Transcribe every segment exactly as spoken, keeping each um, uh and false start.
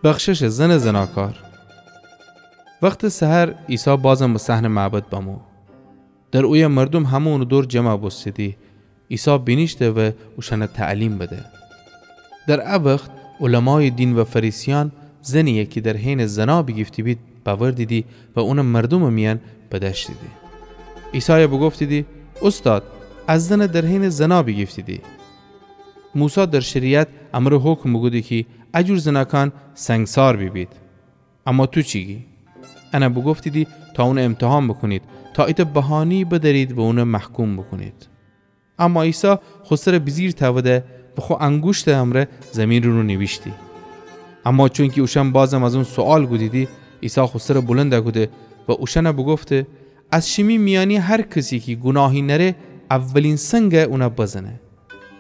بخششٚ زنٚ زناکار. وختٚ سحر عیسی بازم به صحنٚ معبد بمو. در اویه مردوم همه اونٚ دور جمع بوستیدی. عیسی بینیشته و اوشأنَ تعلیم بده. در ا وخت علمایٚ دین و فریسیأن زنیی کی در حینٚ زنا بیگیفته بید بأوردیدی و اونَ مردومٚ میأن بدأشتیدی. عیسایَ بوگفتیدی: اوستاد، ا زنَ در حینٚ زنا بیگیفتیدی. موسی در شریعت امر و حکم بوکوده کی ا جور زناکأن سنگسار بیبید. اما تو چی گی؟ انَ بوگفتیدی تا اونَ امتحان بوکونید، تا ایتأ بهانه‌یی بدأرید و اونَ محکوم بوکونید. اما عیسی خو سرَ بیجیر تأوده و خو انگوشتٚ امرأ زیمینٚ رو نیویشتی. اما چونکی اوشأن بازم از اون سؤال کودیدی، عیسی خو سرَ بلند کوده و اوشأنَ بوگفته: از شیمی میأنی هر کسی کی گوناهی نأره، اولین سنگَ اونَ بزنه.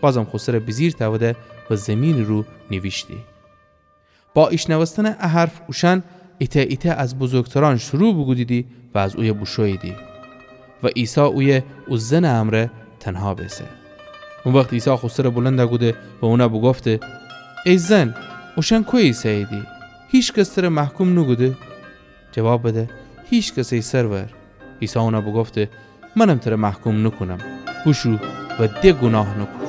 بازم خو سرَ بیجیر تأوده و زیمینٚ رو نیویشتی. با ایشنوستنٚ ا حرف اوشأن ایتأ ایتأ از بزرگترأن شروع بوکودیدی و از اویه بوشوییدی و عیسی اویه او زنٚ امرأ تنها بیسه. او وخت عیسی خو سرَ بلند کوده و اونَ بوگفته: ای زن، اوشأن کویه ایسه‌ییدی؟ هیکس ترَ محکوم نوکوده؟ جواب بده: هیکس، ای سرور. عیسی اونَ بوگفته: منم ترَ محکوم نوکونم. بوشو و د گوناه نوکون.